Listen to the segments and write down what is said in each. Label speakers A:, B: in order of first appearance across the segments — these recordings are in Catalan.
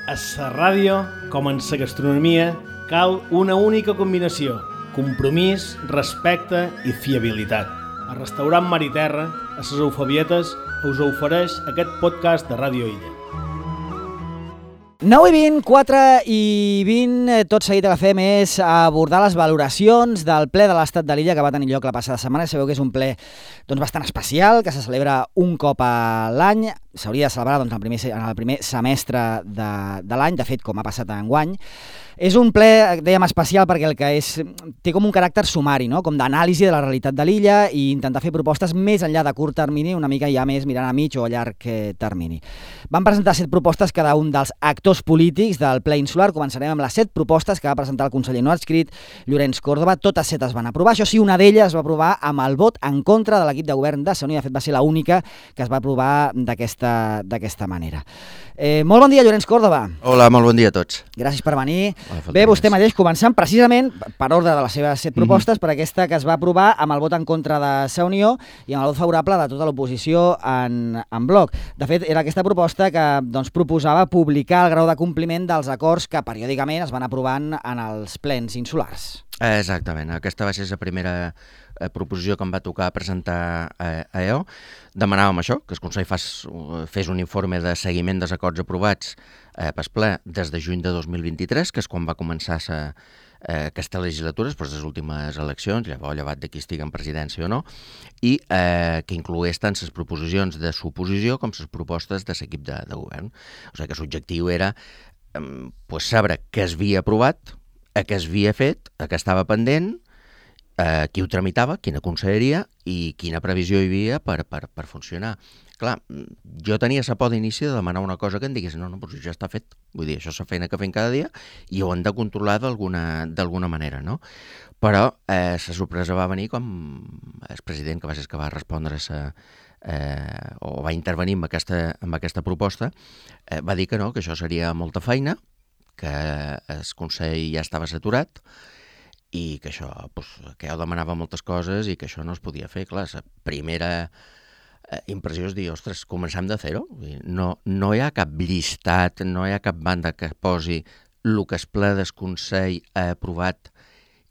A: A la ràdio, com en la gastronomia, cal una única combinació: compromís, respecte i fiabilitat. El restaurant Mar i Terra, a les Eufebietes, us ofereix aquest podcast de Ràdio Illa.
B: 9 i 20, 4 i 20, tot seguit que fem és abordar les valoracions del ple de l'Estat de l'Illa que va tenir lloc la passada setmana. Sabeu que és un ple bastant especial, que se celebra un cop a l'any. S'hauria de celebrar en el primer semestre de l'any, de fet, com ha passat enguany. És un ple, dèiem, especial perquè el que és té com un caràcter sumari, no? Com d'anàlisi de la realitat de l'illa i intentar fer propostes més enllà de curt termini, una mica ja més mirant a mig o a llarg termini. Van presentar 7 propostes cada un dels actors polítics del ple insular. Començarem amb les 7 propostes que va presentar el conseller no adscrit, Llorenç Córdoba. Totes 7 es van aprovar. Això sí, una d'elles es va aprovar amb el vot en contra de l'equip de govern de Saunió. De fet, va ser l'única que es va aprovar d'aquesta manera. Molt bon dia, Llorenç Córdoba.
C: Hola, molt bon dia a tots.
B: Gràcies per venir. Bé, vostè mateix, començant precisament per ordre de les seves 7 propostes, per aquesta que es va aprovar amb el vot en contra de Sa Unió i amb el vot favorable de tota l'oposició en bloc. De fet, era aquesta proposta que proposava publicar el grau de compliment dels acords que periòdicament es van aprovant en els plens insulars.
C: Exactament, aquesta va ser la primera proposició que em va tocar presentar a EO. Demanàvem això, que el Consell fes un informe de seguiment dels acords aprovats pel ple des de juny de 2023, que és quan va començar aquesta legislatura, després de les últimes eleccions, llevat de qui estigui en presidència o no, i que inclogués tant les proposicions de l'oposició com les propostes de l'equip de govern. O sigui que l'objectiu era saber què es havia aprovat, què es havia fet, què estava pendent, qui ho tramitava, quina conselleria i quina previsió hi havia per funcionar. Clar, jo tenia la por d'inici de demanar una cosa que em digués no, però ja està fet. Vull dir, això és la feina que fem cada dia i ho hem de controlar d'alguna manera, no? Però la sorpresa va venir com el president, que va ser el que va respondre o va intervenir amb aquesta proposta, va dir que no, que això seria molta feina, que el Consell ja estava saturat i que això, que jo demanava moltes coses i que això no es podia fer. Clar, la primera impressió és dir, ostres, comencem de zero. No hi ha cap llistat, no hi ha cap banda que posi el que el ple del Consell ha aprovat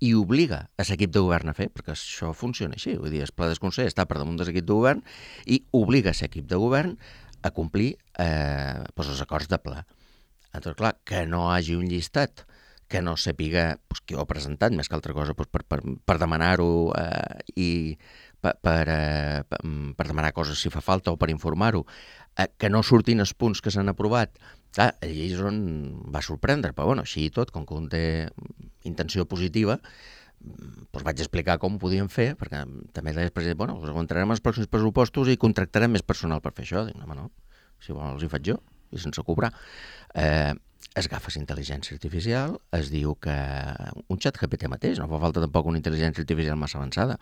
C: i obliga a l'equip de govern a fer, perquè això funciona així. Vull dir, el ple del Consell està per damunt de l'equip de govern i obliga l'equip de govern a complir els acords de ple. Entonces, clar, que no hi hagi un llistat, que no sàpiga qui ho ha presentat, més que altra cosa per demanar-ho i per demanar coses si fa falta o per informar-ho, que no surtin els punts que s'han aprovat. Clar, allà és on va sorprendre, però bueno, així i tot, com que un té intenció positiva, vaig explicar com ho podíem fer, perquè també deia el president, ho entrarem als pròxims pressupostos i contractarem més personal per fer això. Dic, no, si vols els hi faig jo, i sense cobrar. Es agafes intel·ligència artificial, es diu que un xat GPT mateix, no fa falta tampoc una intel·ligència artificial massa avançada,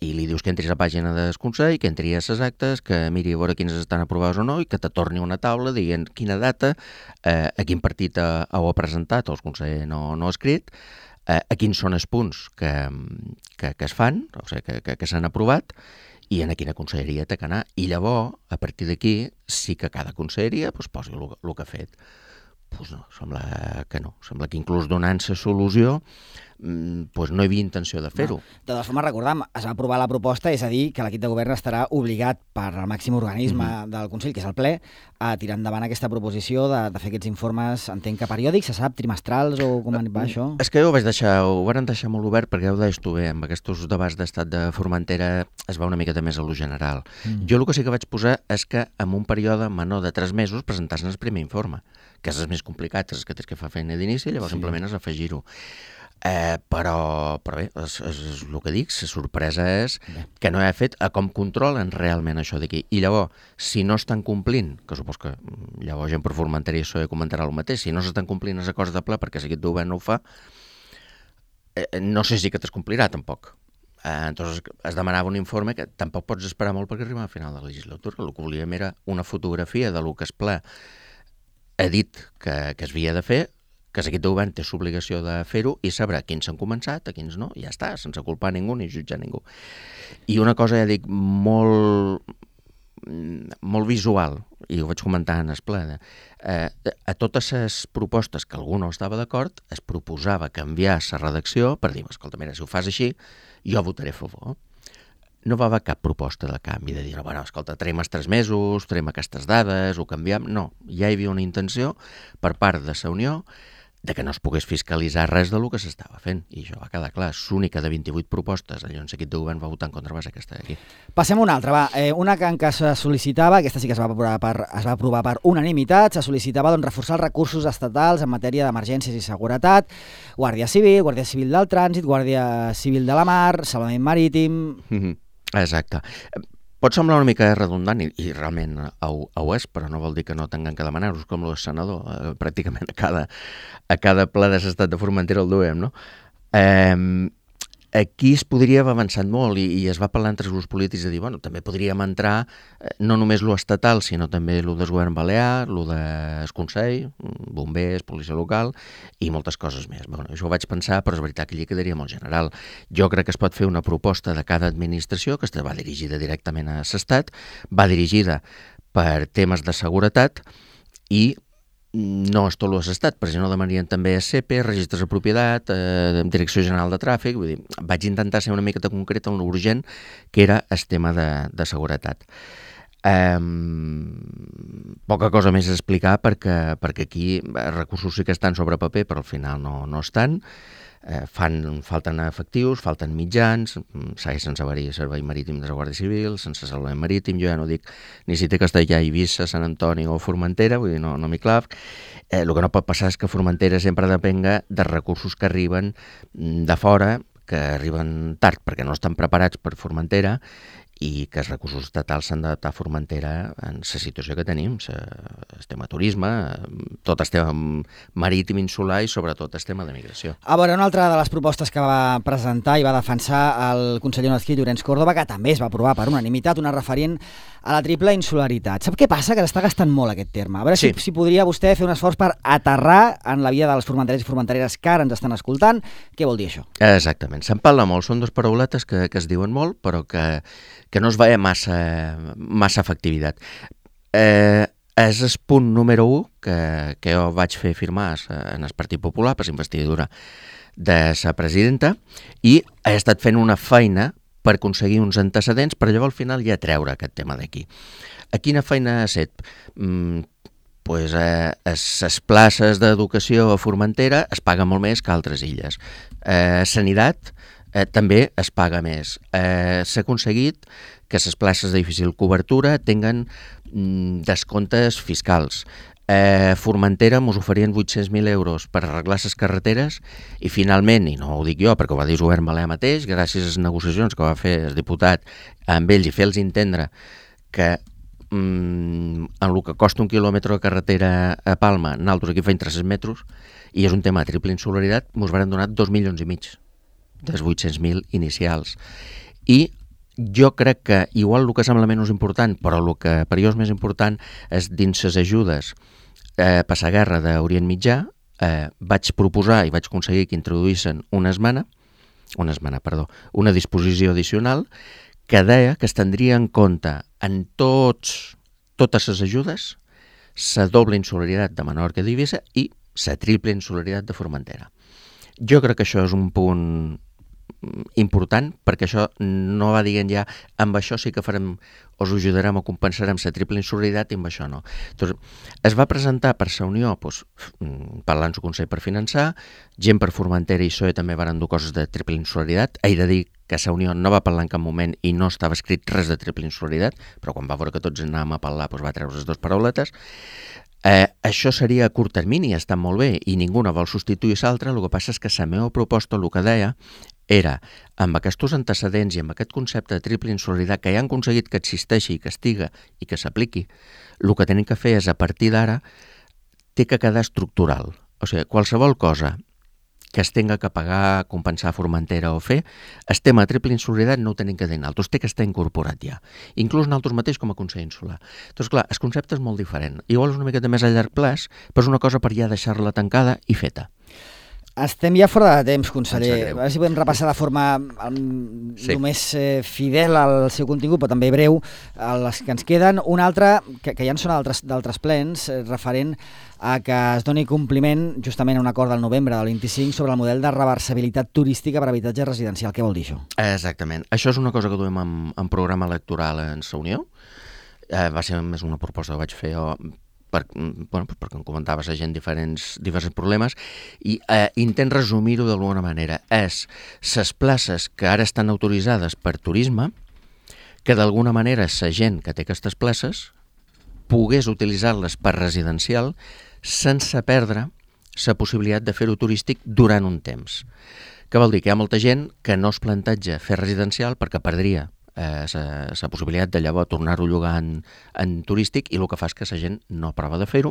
C: i li dius que entris a la pàgina del Consell, que entri a les actes, que miri a veure quines estan aprovades o no, i que te torni una taula dient quina data, a quin partit ho ha presentat, o el Consell no ha escrit, a quins són els punts que es fan, o sigui, que s'han aprovat, i en quina conselleria té que anar. I llavors, a partir d'aquí, sí que cada conselleria posi el que ha fet. No, sembla que no. Sembla que inclús donant la solució no hi havia intenció de fer-ho.
B: De totes formes, recordem, es va aprovar la proposta, és a dir, que l'equip de govern estarà obligat per al màxim organisme del Consell, que és el ple, a tirar endavant aquesta proposició de fer aquests informes, entenc que periòdics, se sap, trimestrals o com va això?
C: És que ho van deixar molt obert perquè ho deies tu bé, amb aquests debats d'estat de Formentera es va una miqueta més a lo general. Jo el que sí que vaig posar és que en un període menor de 3 mesos presentassin el primer informe, que és el més complicat, és que tens que fer feina d'inici i llavors simplement és afegir-ho. Però bé, és el que dic, la sorpresa és que no he fet a com controlen realment això d'aquí. I llavors, si no estan complint, que supos que llavors gent per Formentera i això comentarà el mateix, si no s'estan complint els acords de ple perquè l'equip de govern no ho fa, no sé si que t'escomplirà tampoc. Entonces es demanava un informe que tampoc pots esperar molt perquè arriba al final de la legislatura. El que volíem era una fotografia de lo que el ple ha dit que es havia de fer, que l'equip de govern té l'obligació de fer-ho i saber quins s'han començat, a quins no, i ja està, sense culpar ningú ni jutjar ningú. I una cosa, ja dic, molt molt visual, i ho vaig comentar en el ple, a totes les propostes que algú no estava d'acord es proposava canviar la redacció per dir, escolta, mira, si ho fas així, jo votaré a favor. No va haver cap proposta de canvi, de dir, no, bueno, escolta, traiem els 3 mesos, traiem aquestes dades, ho canviem. No, ja hi havia una intenció per part de la Unió de que no es pogués fiscalitzar res del que s'estava fent. I això va quedar clar. L'única de 28 propostes, llavors l'equip de govern va votar en contra, va ser aquesta d'aquí.
B: Passem a una altra, va. Una que se sol·licitava, aquesta sí que es va aprovar per unanimitat, se sol·licitava reforçar els recursos estatals en matèria d'emergències i seguretat, Guàrdia Civil del Trànsit, Guàrdia Civil de la Mar, Salvament Marítim...
C: Exacte. Pot semblar una mica redundant, i realment ho és, però no vol dir que no tinguem que demanar-los, com el senador. Pràcticament a cada ple de l'estat de Formentera el duem, no? Aquí es podria haver avançat molt i es va parlar entre els grups polítics de dir, bueno, també podríem entrar no només lo estatal, sinó també lo del govern balear, lo del Consell, bombers, policia local i moltes coses més. Bueno, això ho vaig pensar, però és veritat que allí quedaria molt general. Jo crec que es pot fer una proposta de cada administració que va dirigida directament a l'estat, va dirigida per temes de seguretat i no és tot l'estat, perquè no demanarien també CEPE, registres de propietat, Direcció General de Tràfic, vull dir, vaig intentar ser una miqueta concret en l'urgent, que era el tema de seguretat. Poca cosa més a explicar perquè aquí recursos sí que estan sobre paper, però al final no estan. Falten efectius, falten mitjans, segueix sense haver-hi servei marítim de la Guàrdia Civil, sense salvament marítim, jo ja no dic ni si té Castellà, Eivissa, Sant Antoni o Formentera, vull dir, no m'hi clav. El que no pot passar és que Formentera sempre depenga de recursos que arriben de fora, que arriben tard perquè no estan preparats per Formentera, i que els recursos estatals s'han d'adaptar a Formentera en la situació que tenim, el tema turisme, tot el tema marítim insular i sobretot el tema de migració.
B: A veure, una altra de les propostes que va presentar i va defensar el conseller Nazquí Llorenç Córdoba, que també es va aprovar per unanimitat, una referent a la triple insularitat. Sap què passa? Que s'està gastant molt aquest terme. A veure si podria vostè fer un esforç per aterrar en la vida dels formenterers i formentereres que ara ens estan escoltant. Què vol dir això?
C: Exactament. Se'n parla molt. Són dues parauletes que es diuen molt, però que no es veia massa efectivitat. És el punt número 1 que jo vaig fer firmar en el Partit Popular per la investidura de la presidenta i he estat fent una feina per aconseguir uns antecedents per llavors al final ja treure aquest tema d'aquí. A quina feina ha estat? Pues les places d'educació a Formentera es paguen molt més que a altres illes. Sanitat també es paga més. S'ha aconseguit que les places de difícil cobertura tinguen descomptes fiscals. Formentera ens oferien 800.000 euros per arreglar les carreteres i finalment, i no ho dic jo perquè ho va dir el govern balear mateix, gràcies a les negociacions que va fer el diputat amb ells i fer-los entendre que en el que costa un quilòmetre de carretera a Palma, nosaltres aquí feim 300 metres i és un tema de triple insularitat, ens van donar 2,5 milions dels 800.000 inicials. I jo crec que, igual el que sembla menys important, però el que per jo és més important és dins les ajudes per la guerra d'Orient Mitjà, vaig proposar i vaig aconseguir que introduïssin una disposició addicional que deia que es tindria en compte en totes les ajudes la doble insularitat de Menorca i d'Eivissa i la triple insularitat de Formentera. Jo crec que això és un punt important, perquè això no va dient ja amb això sí que farem, us ajudarem o compensarem la triple insularitat i amb això no. Entonces, es va presentar per la Unió parlant del Consell per finançar, gent per Formentera i PSOE també van dur coses de triple insularitat. He de dir que la Unió no va parlar en cap moment i no estava escrit res de triple insularitat, però quan va veure que tots anàvem a parlar va treure les dues parauletes. Això seria a curt termini, està molt bé i ningú no vol substituir l'altre. El que passa és que la meva proposta el que deia era, amb aquests antecedents i amb aquest concepte de triple insularitat que ja han aconseguit que existeixi, que estiga i que s'apliqui, el que tenim que fer és, a partir d'ara, té que quedar estructural. O sigui, qualsevol cosa que es tenga que pagar, compensar Formentera o fer, el tema de triple insularitat no ho tenim que dir nosaltres, té que estar incorporat ja. Inclús nosaltres mateix com a Consell Insular. Doncs clar, el concepte és molt diferent. Igual és una miqueta més a llarg plaç, però és una cosa per ja deixar-la tancada i feta.
B: Estem ja fora de temps, conseller. A veure si podem repassar de forma només fidel al seu contingut, però també breu, les que ens queden. Una altra, que ja en són d'altres plens, referent a que es doni compliment justament a un acord del novembre del 25 sobre el model de reversibilitat turística per habitatge residencial. Què vol dir això?
C: Exactament. Això és una cosa que duem en programa electoral en Sa Unió. Va ser més una proposta que vaig fer jo perquè em comentaves a gent diversos problemes i intent resumir-ho d'alguna manera. És les places que ara estan autoritzades per turisme, que d'alguna manera la gent que té aquestes places pogués utilitzar-les per residencial sense perdre la possibilitat de fer-ho turístic durant un temps. Què vol dir? Que hi ha molta gent que no es planteja fer residencial perquè perdria la possibilitat de llavors tornar-ho a llogar en turístic i el que fa és que la gent no prova de fer-ho,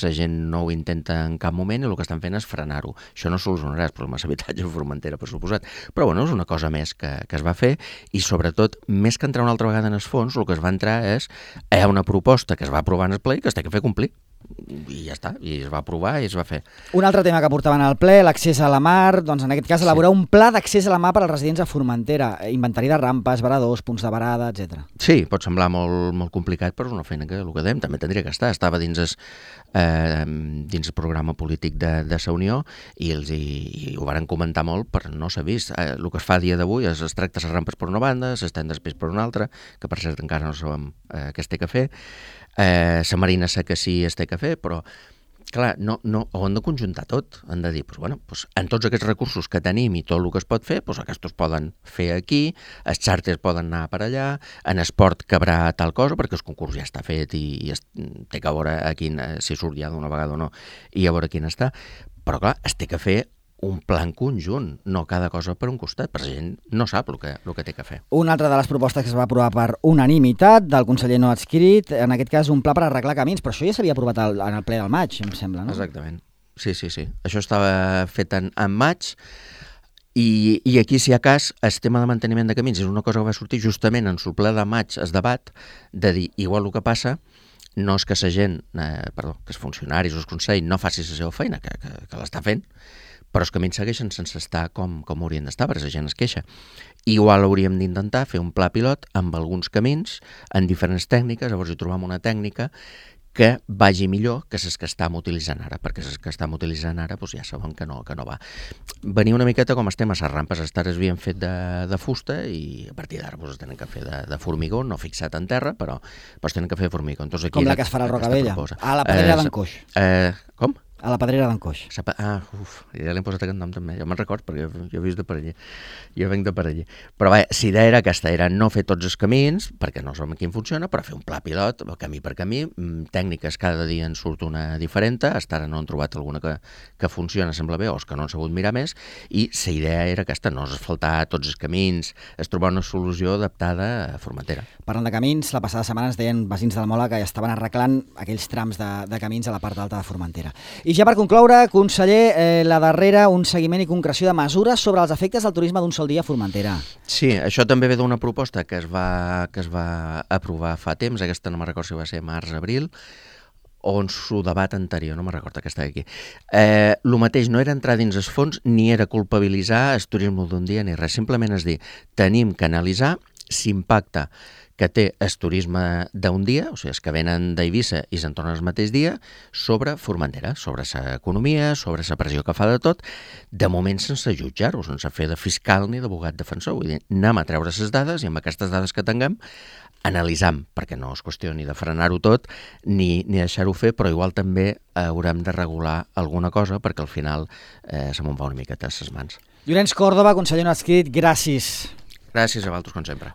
C: la gent no ho intenta en cap moment i el que estan fent és frenar-ho. Això no solucionarà els problemes d'habitatge a Formentera, per suposat, però bueno, és una cosa més que es va fer i sobretot, més que entrar una altra vegada en els fons, el que es va entrar és una proposta que es va aprovar en el ple i que es té que fer complir. I ja està, i es va aprovar i es va fer.
B: Un altre tema que portaven al ple, l'accés a la mar, doncs en aquest cas elaborar un pla d'accés a la mar per als residents a Formentera, inventari de rampes, varadors, punts de varada, etc.
C: Sí, pot semblar molt complicat, però és una feina que el que dèiem també tindria que estar. Estava dins el programa polític de Sa Unió i ho varen comentar molt, però no s'ha vist. El que es fa a dia d'avui es tracta les rampes per una banda, s'estén després per una altra, que per cert encara no sabem què es té que fer. La Marina sé que sí es té que fer, però clar, no, ho han de conjuntar tot. Han de dir, en tots aquests recursos que tenim i tot el que es pot fer, aquests es poden fer aquí, els xàrters poden anar per allà, en esport cabrà tal cosa, perquè el concurs ja està fet i té que veure si surt ja d'una vegada o no, i a veure quin està. Però clar, es té que fer un plan conjunt, no cada cosa per un costat, perquè la gent no sap el que té que fer.
B: Una altra de les propostes que es va aprovar per unanimitat del conseller no adscrit, en aquest cas un pla per arreglar camins, però això ja s'havia aprovat en el ple del maig, em sembla, no?
C: Exactament, sí. Això estava fet en maig i aquí, si hi ha cas, el tema de manteniment de camins és una cosa que va sortir justament en el ple de maig, es debat de dir, igual el que passa no és que la gent, que els funcionaris o el Consell no faci la seva feina, que l'està fent, però els camins segueixen sense estar com haurien d'estar, perquè la gent es queixa. Igual hauríem d'intentar fer un pla pilot amb alguns camins, en diferents tècniques, llavors hi trobem una tècnica que vagi millor que les que estem utilitzant ara, perquè les que estem utilitzant ara ja sabem que no va. Venia una miqueta com estem a les rampes, les tares havien fet de fusta i a partir d'ara es tenen que fer de formigó, no fixat en terra, però es tenen que fer de formigó.
B: Com la que es farà a Rocavella, a la Pedrera d'en Coix.
C: Com?
B: A la Pedrera d'en Coix.
C: Ja li hem posat aquest nom també, jo me'n record perquè jo he vist de per allí, jo venc de per allí. Però bé, la idea era aquesta, era no fer tots els camins, perquè no sabem quin funciona, però fer un pla pilot, camí per camí, tècniques cada dia en surt una diferent, hasta ara no han trobat alguna que funciona, sembla bé, o que no han sabut mirar més, i la idea era aquesta, no asfaltar tots els camins, es trobar una solució adaptada a Formentera.
B: Parlant de camins, la passada setmana ens deien veïns del Mola que estaven arreglant aquells trams de camins a la part alta de Formentera. I ja per concloure, conseller, la darrera, un seguiment i concreció de mesures sobre els efectes del turisme d'un sol dia a Formentera.
C: Sí, això també ve d'una proposta que es va aprovar fa temps, aquesta no me'n recordo si va ser març-abril, o en su debat anterior, no me'n recordo que estava aquí. El mateix no era entrar dins els fons ni era culpabilitzar el turisme d'un dia ni res, simplement és dir, tenim que analitzar l'impacte que té el turisme d'un dia, o sigui, els que venen d'Eivissa i se'n tornen el mateix dia, sobre Formentera, sobre l'economia, sobre la pressió que fa de tot, de moment sense jutjar-ho, sense fer de fiscal ni d'abogat defensor. Vull dir, anem a treure les dades i amb aquestes dades que tinguem analitzam, perquè no és qüestió ni de frenar-ho tot ni deixar-ho fer, però igual també haurem de regular alguna cosa perquè al final se me'n va una miqueta a les mans.
B: Llorenç Còrdova, conseller no adscrit, gràcies.
C: Gràcies a vosaltres, com sempre.